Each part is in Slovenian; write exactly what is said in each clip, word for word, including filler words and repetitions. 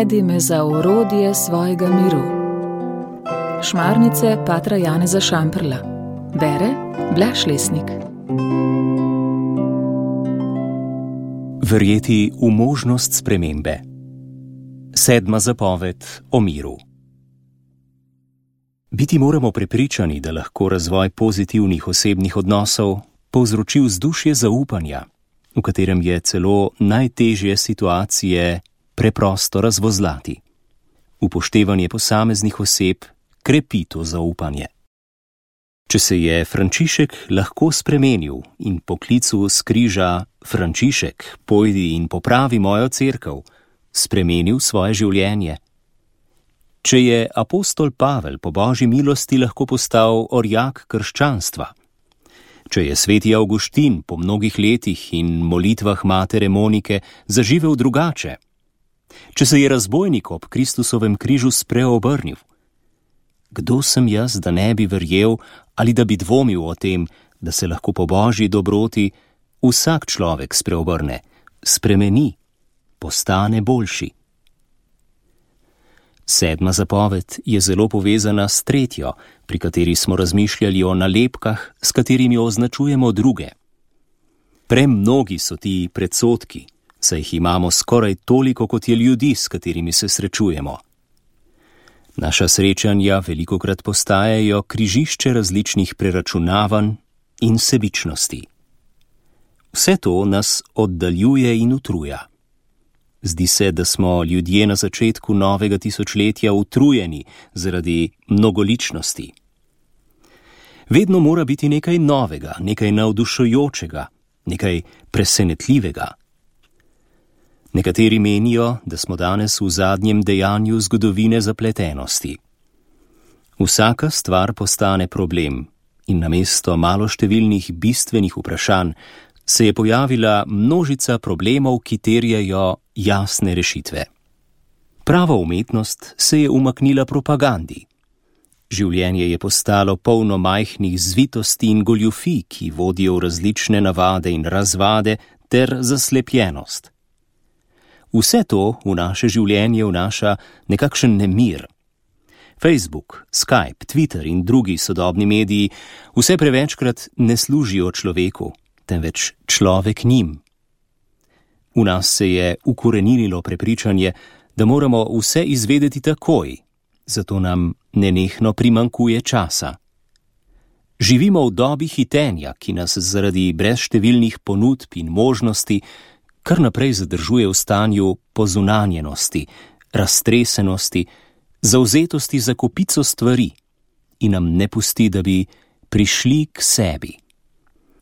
Navedi me za orodje svojega miru. Šmarnice patra Janeza Šamprla. Bere Blaž Lesnik. Verjeti v možnost spremembe. Sedma zapoved o miru. Biti moramo prepričani, da lahko razvoj pozitivnih osebnih odnosov povzroči vzdušje zaupanja, v katerem je celo najtežje situacije preprosto razvozlati. Upoštevanje posameznih oseb krepi to zaupanje. Če se je Frančišek lahko spremenil in po klicu s križa Frančišek, pojdi in popravi mojo cerkev, spremenil svoje življenje. Če je apostol Pavel po Božji milosti lahko postal orjak krščanstva, če je sveti Avguštin po mnogih letih in molitvah matere Monike zaživel drugače, če se je razbojnik ob Kristusovem križu spreobrnil, kdo sem jaz, da ne bi verjel ali da bi dvomil o tem, da se lahko po Božji dobroti vsak človek spreobrne, spremeni, postane boljši. Sedma zapoved je zelo povezana s tretjo, pri kateri smo razmišljali o nalepkah, s katerimi označujemo druge. Premnogi so ti predsodki, saj jih imamo skoraj toliko, kot je ljudi, s katerimi se srečujemo. Naša srečanja velikokrat postajajo križišče različnih preračunavanj in sebičnosti. Vse to nas oddaljuje in utruja. Zdi se, da smo ljudje na začetku novega tisočletja utrujeni zaradi mnogoličnosti. Vedno mora biti nekaj novega, nekaj navdušujočega, nekaj presenetljivega. Nekateri menijo, da smo danes v zadnjem dejanju zgodovine zapletenosti. Vsaka stvar postane problem in namesto maloštevilnih bistvenih vprašanj se je pojavila množica problemov, ki terjajo jasne rešitve. Prava umetnost se je umaknila propagandi. Življenje je postalo polno majhnih zvitosti in goljufij, ki vodijo v različne navade in razvade ter zaslepljenost. Vse to v naše življenje vnaša nekakšen nemir. Facebook, Skype, Twitter in drugi sodobni mediji vse prevečkrat ne služijo človeku, temveč človek njim. V nas se je ukoreninilo prepričanje, da moramo vse izvedeti takoj, zato nam nenehno primanjkuje časa. Živimo v dobi hitenja, ki nas zaradi brezštevilnih ponudb in možnosti kar naprej zadržuje v stanju pozunanjenosti, raztresenosti, zavzetosti za kopico stvari in nam ne pusti, da bi prišli k sebi.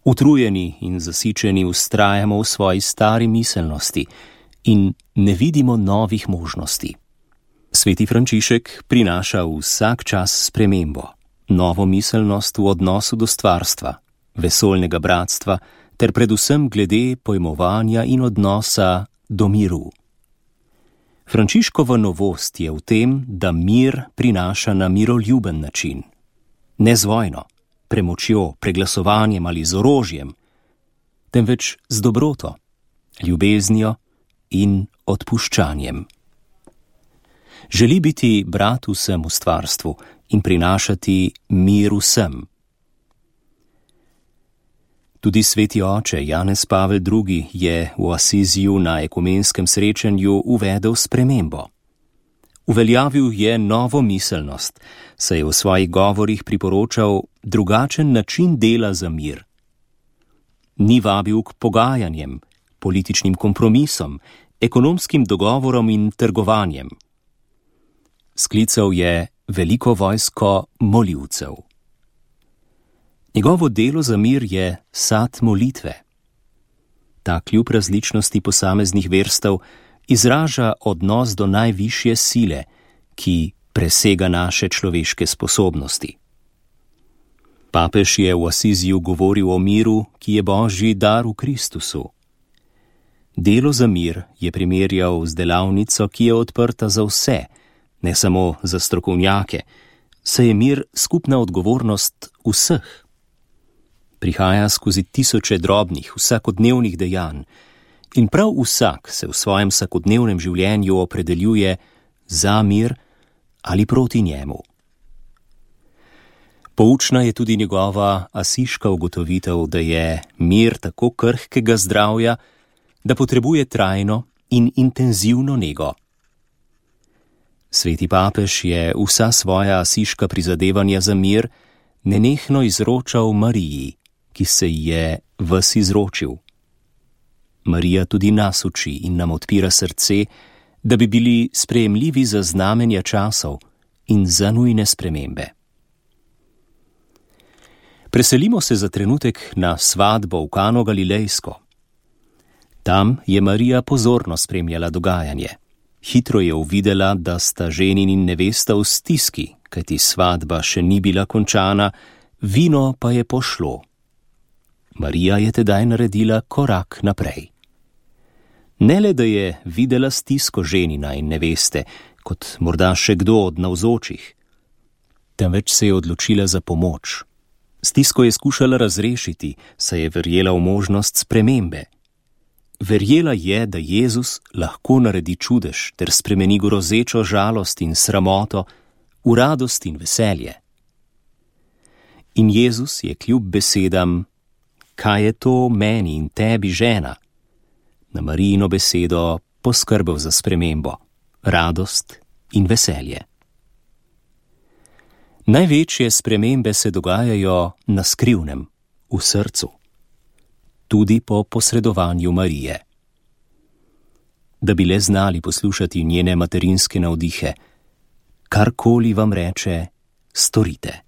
Utrujeni in zasičeni vztrajamo v svoji stari miselnosti in ne vidimo novih možnosti. Sveti Frančišek prinaša vsak čas spremembo, novo miselnost v odnosu do stvarstva, vesoljnega bratstva ter predvsem glede pojmovanja in odnosa do miru. Frančiškova novost je v tem, da mir prinaša na miroljuben način, ne z vojno, premočjo, preglasovanjem ali z orožjem, temveč z dobroto, ljubeznijo in odpuščanjem. Želi biti brat vsem v stvarstvu in prinašati mir vsem. Tudi sveti oče Janez Pavel drugi je v Asiziju na ekumenskem srečanju uvedel spremembo. Uveljavil je novo miselnost, saj je v svojih govorih priporočal drugačen način dela za mir. Ni vabil k pogajanjem, političnim kompromisom, ekonomskim dogovorom in trgovanjem. Sklical je veliko vojsko moljivcev. Njegovo delo za mir je sad molitve. Ta kljub različnosti posameznih verstev izraža odnos do najvišje sile, ki presega naše človeške sposobnosti. Papež je v Asiziju govoril o miru, ki je Božji dar v Kristusu. Delo za mir je primerjal z delavnico, ki je odprta za vse, ne samo za strokovnjake, saj je mir skupna odgovornost vseh. Prihaja skozi tisoče drobnih, vsakodnevnih dejanj In prav vsak se v svojem vsakodnevnem življenju opredeljuje za mir ali proti njemu. Poučna je tudi njegova asiška ugotovitev, da je mir tako krhkega zdravja, da potrebuje trajno in intenzivno nego. Sveti papež je vsa svoja asiška prizadevanja za mir nenehno izročal Mariji, ki se ji je ves izročil. Marija tudi nas uči in nam odpira srce, da bi bili sprejemljivi za znamenja časov in za nujne spremembe. Preselimo se za trenutek na svatbo v Kano Galilejsko. Tam je Marija pozorno spremljala dogajanje. Hitro je uvidela, da sta ženin in nevesta v stiski, kajti svatba še ni bila končana, vino pa je pošlo. Marija je tedaj naredila korak naprej. Ne le, da je videla stisko ženina in neveste, kot morda še kdo od navzočih, temveč se je odločila za pomoč. Stisko je skušala razrešiti, saj je verjela v možnost spremembe. Verjela je, da Jezus lahko naredi čudež ter spremeni grozečo žalost in sramoto v radost in veselje. In Jezus je kljub besedam, kaj je to meni in tebi, žena, na Marijino besedo poskrbel za spremembo, radost in veselje. Največje spremembe se dogajajo na skrivnem, v srcu, tudi po posredovanju Marije. Da bi le znali poslušati njene materinske navdihe, karkoli vam reče, storite.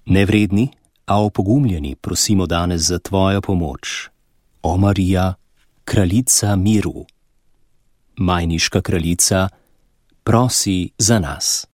Nevredni, a opogumljeni prosimo danes za tvojo pomoč. O Marija, kraljica miru. Majniška kraljica, prosi za nas.